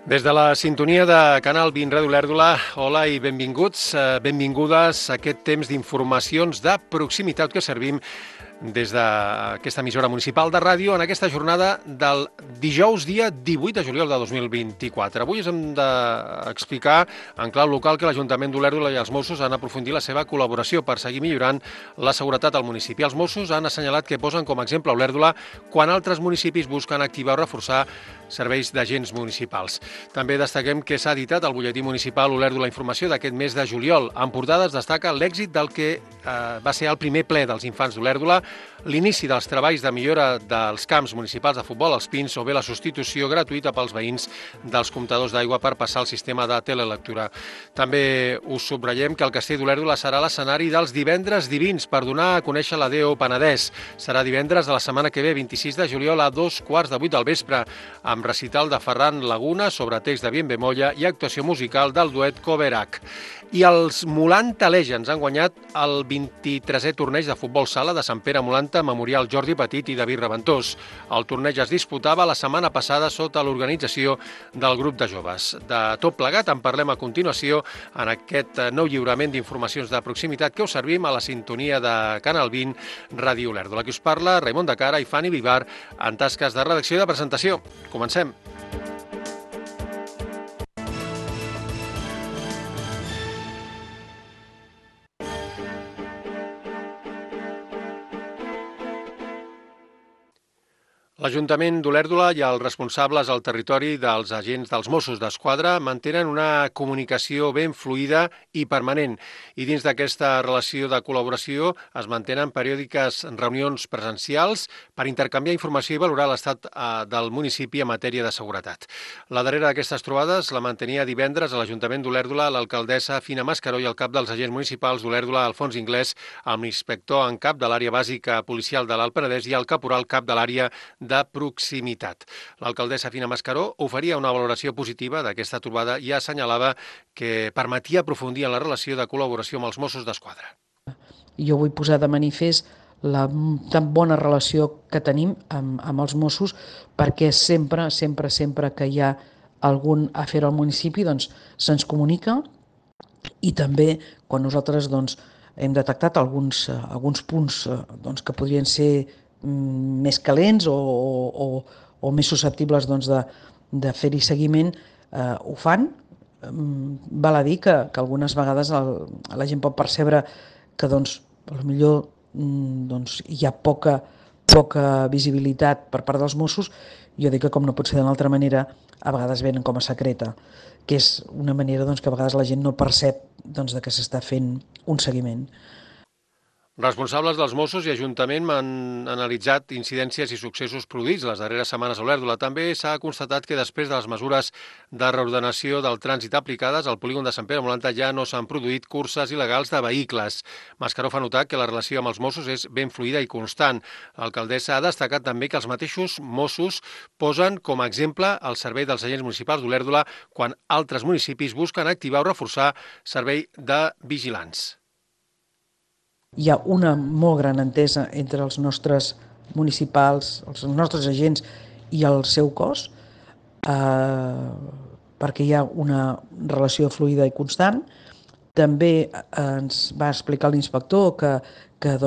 Des de la sintonia de Canal 20 Ràdio Olèrdola, hola i benvinguts, benvingudes a aquest temps d'informacions de proximitat que servim des d'aquesta emissora municipal de ràdio en aquesta jornada del dijous dia 18 de juliol de 2024. Avui us hem d'explicar en clau local que l'Ajuntament d'Olèrdola i els Mossos han aprofundit la seva col·laboració per seguir millorant la seguretat al municipi. Els Mossos han assenyalat que posen com a exemple Olèrdola quan altres municipis busquen activar o reforçar serveis d'agents municipals. També destaquem que s'ha editat al butlletí municipal Olèrdola Informació d'aquest mes de juliol. En portada es destaca l'èxit del que va ser el primer ple dels infants d'Olèrdola, l'inici dels treballs de millora dels camps municipals de futbol als Pins o bé la substitució gratuïta pels veïns dels comptadors d'aigua per passar al sistema de telelectura. També us subratllem que el Castell d'Olèrdola serà l'escenari dels divendres divins per donar a conèixer la Déu Penedès. Serà divendres de la setmana que ve, 26 de juliol, a 2:15 del vespre, amb recital de Ferran Laguna sobre text de Bien Bemolla i actuació musical del duet Coverac. I els Molanta Legends han guanyat el 23è torneig de futbol sala de Sant Pere Molanta, Memorial Jordi Petit i David Reventós. El torneig es disputava la setmana passada sota l'organització del grup de joves. De tot plegat en parlem a continuació en aquest nou lliurament d'informacions de proximitat que us servim a la sintonia de Canal 20 Ràdio Olèrdola. Aquí us parla Raimon de Cara i Fanny Vivar en tasques de redacció i de presentació. Comencem. L'Ajuntament d'Olèrdola i els responsables al territori dels agents dels Mossos d'Esquadra mantenen una comunicació ben fluida i permanent. I dins d'aquesta relació de col·laboració es mantenen periòdiques reunions presencials per intercanviar informació i valorar l'estat del municipi en matèria de seguretat. La darrera d'aquestes trobades la mantenia divendres a l'Ajuntament d'Olèrdola l'alcaldessa Fina Mascaró i el cap dels agents municipals d'Olèrdola, Alfons Inglés, amb l'inspector en cap de l'àrea bàsica policial de l'Alt Penedès i el caporal cap de l'àrea de proximitat. L'alcaldessa Fina Mascaró oferia una valoració positiva d'aquesta trobada i assenyalava que permetia aprofundir en la relació de col·laboració amb els Mossos d'Esquadra. Jo vull posar de manifest la tan bona relació que tenim amb els Mossos, perquè sempre que hi ha algun afer al municipi doncs se'ns comunica, i també quan nosaltres hem detectat alguns punts que podrien ser més calents o més susceptibles de fer-hi seguiment, ho fan. Val a dir que algunes vegades la gent pot percebre que potser hi ha poca visibilitat per part dels Mossos. Jo dic que, com no pot ser d'una altra manera, a vegades venen com a secreta, que és una manera que a vegades la gent no percep de que s'està fent un seguiment. Responsables dels Mossos i Ajuntament han analitzat incidències i successos produïts les darreres setmanes a Olèrdola. També s'ha constatat que després de les mesures de reordenació del trànsit aplicades, al polígon de Sant Pere Molanta ja no s'han produït curses il·legals de vehicles. Mascaró fa notar que la relació amb els Mossos és ben fluida i constant. L'alcaldessa ha destacat també que els mateixos Mossos posen com a exemple el servei dels agents municipals d'Olèrdola quan altres municipis busquen activar o reforçar servei de vigilants. Hi ha una molt gran entesa entre els nostres municipals, els nostres agents i el seu cos, perquè hi ha una relació fluida i constant. També ens va explicar l'inspector que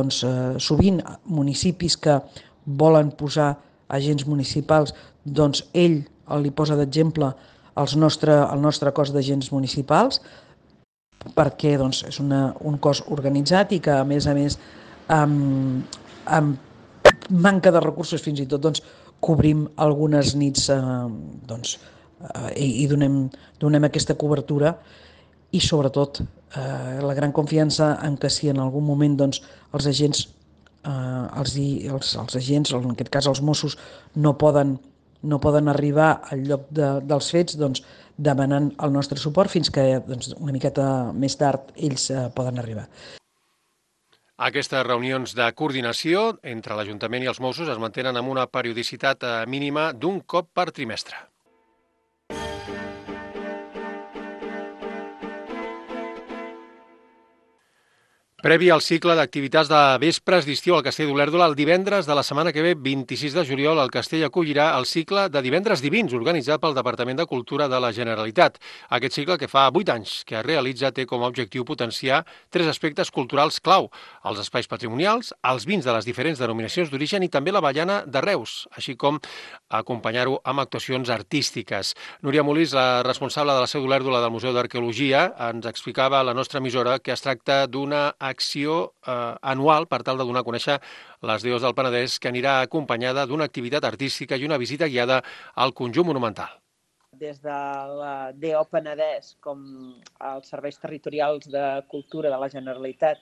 sovint municipis que volen posar agents municipals, ell li posa d'exemple el nostre cos d'agents municipals, perquè és un cos organitzat i que, a més, amb manca de recursos fins i tot cobrim algunes nits i donem aquesta cobertura, i sobretot la gran confiança en que si en algun moment els agents, en aquest cas els Mossos, no poden arribar al lloc dels fets, demanant el nostre suport fins que una miqueta més tard ells poden arribar. Aquestes reunions de coordinació entre l'Ajuntament i els Mossos es mantenen amb una periodicitat mínima d'un cop per trimestre. Previ al cicle d'activitats de vespres d'estiu al Castell d'Olèrdola, el divendres de la setmana que ve, 26 de juliol, el Castell acollirà el cicle de divendres divins, organitzat pel Departament de Cultura de la Generalitat. Aquest cicle, que fa 8 anys que es realitza, té com a objectiu potenciar 3 aspectes culturals clau: els espais patrimonials, els vins de les diferents denominacions d'origen i també l'avellana de Reus, així com acompanyar-ho amb actuacions artístiques. Núria Molís, la responsable de la seu d'Olèrdola del Museu d'Arqueologia, ens explicava a la nostra emissora que es tracta d'una acció anual per tal de donar a conèixer les deus del Penedès, que anirà acompanyada d'una activitat artística i una visita guiada al conjunt monumental. Des de la DO Penedès com els serveis territorials de cultura de la Generalitat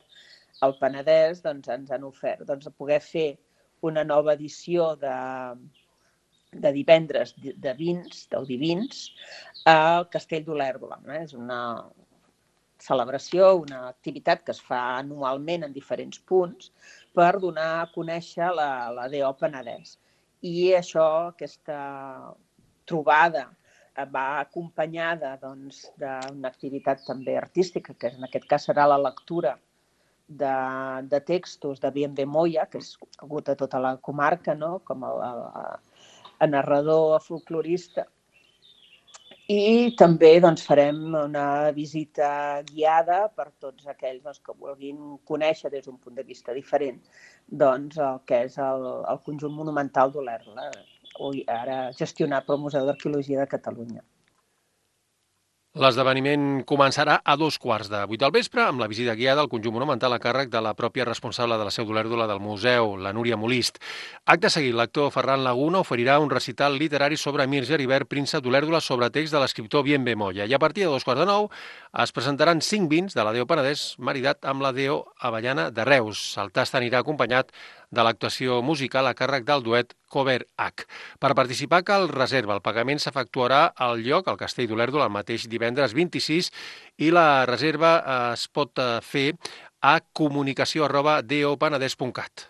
al Penedès ens han ofert poder fer una nova edició de divendres de vins, del Divins, al Castell d'Olèrdola. És una celebració, una activitat que es fa anualment en diferents punts per donar a conèixer la DO Penedès. I això, aquesta trobada, va acompanyada d'una activitat també artística, que en aquest cas serà la lectura de textos de Bien Moya, que és conegut a tota la comarca, no? Com a narrador, a folclorista. I també farem una visita guiada per tots aquells que vulguin conèixer des d'un punt de vista diferent el que és el conjunt monumental d'Olèrdola, ara gestionat pel Museu d'Arqueologia de Catalunya. L'esdeveniment començarà a 2:15 del vespre amb la visita guiada al conjunt monumental a càrrec de la pròpia responsable de la seu d'Olèrdola del museu, la Núria Molist. Acte seguit, l'actor Ferran Laguna oferirà un recital literari sobre Mir Geribert, príncep d'Olèrdola, sobre text de l'escriptor Bien Moya. I a partir de 2:15 es presentaran 5 vins de la DO Penedès maridat amb la DO Avellana de Reus. El tast anirà acompanyat de l'actuació musical a càrrec del duet Cover H. Per participar cal reserva. El pagament s'efectuarà al lloc, al Castell d'Olèrdola, el mateix divendres 26, i la reserva es pot fer a comunicació@dopenedès.cat.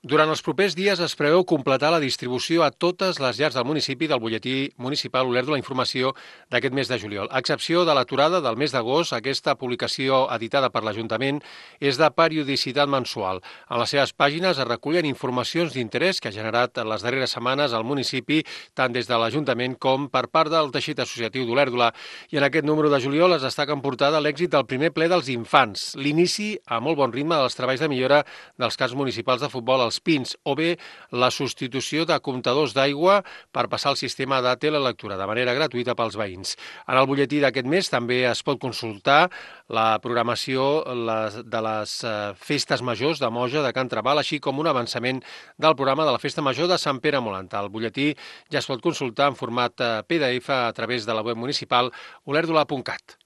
Durant els propers dies es preveu completar la distribució a totes les llars del municipi del butlletí municipal Olèrdola Informació d'aquest mes de juliol. A excepció de l'aturada del mes d'agost, aquesta publicació editada per l'Ajuntament és de periodicitat mensual. En les seves pàgines es recullen informacions d'interès que ha generat en les darreres setmanes al municipi, tant des de l'Ajuntament com per part del teixit associatiu d'Olèrdola. I en aquest número de juliol es destaca en portada l'èxit del primer ple dels infants, l'inici a molt bon ritme dels treballs de millora dels camps municipals de futbol als Pins, o bé la substitució de comptadors d'aigua per passar al sistema de telelectura de manera gratuïta pels veïns. En el butlletí d'aquest mes també es pot consultar la programació de les festes majors de Moja de Can Trabal, així com un avançament del programa de la Festa Major de Sant Pere Molanta. El butlletí ja es pot consultar en format PDF a través de la web municipal olèrdola.cat.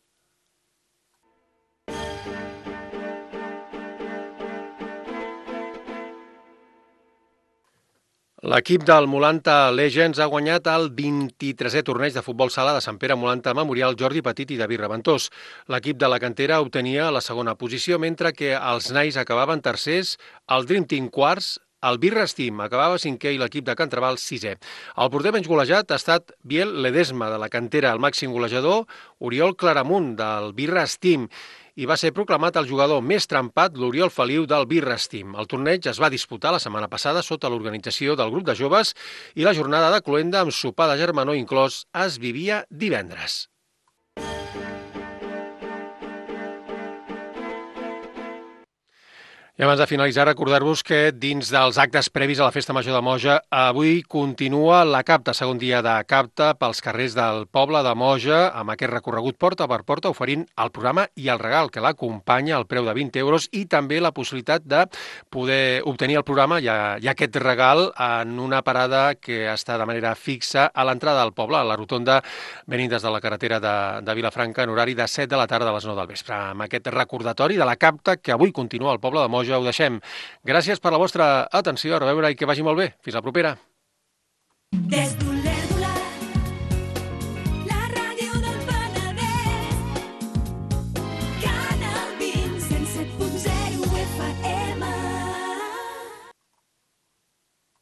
L'equip del Molanta Legends ha guanyat el 23è torneig de futbol sala de Sant Pere Molanta Memorial Jordi Petit i David Reventós. L'equip de la cantera obtenia la segona posició, mentre que els nais acabaven tercers, el Dream Team quarts, el Birras Team acabava cinquè i l'equip de Can Trabal sisè. El porter menys golejat ha estat Biel Ledesma, de la cantera. El màxim golejador, Oriol Claramunt, del Birras Team. I va ser proclamat el jugador més trempat, l'Oriol Feliu, del Birras Team. El torneig es va disputar la setmana passada sota l'organització del grup de joves i la jornada de cloenda amb sopar de germanor inclòs es vivia divendres. I abans de finalitzar, recordar-vos que dins dels actes previs a la Festa Major de Moja, avui continua la capta, segon dia de capta pels carrers del poble de Moja, amb aquest recorregut porta per porta, oferint el programa i el regal que l'acompanya al preu de 20 euros i també la possibilitat de poder obtenir el programa i aquest regal en una parada que està de manera fixa a l'entrada del poble, a la rotonda, venint des de la carretera de Vilafranca en horari de 7 de la tarda a les 9 del vespre. Amb aquest recordatori de la capta que avui continua al poble de Moja, ho deixem. Gràcies per la vostra atenció, a reveure i que vagi molt bé. Fins la propera.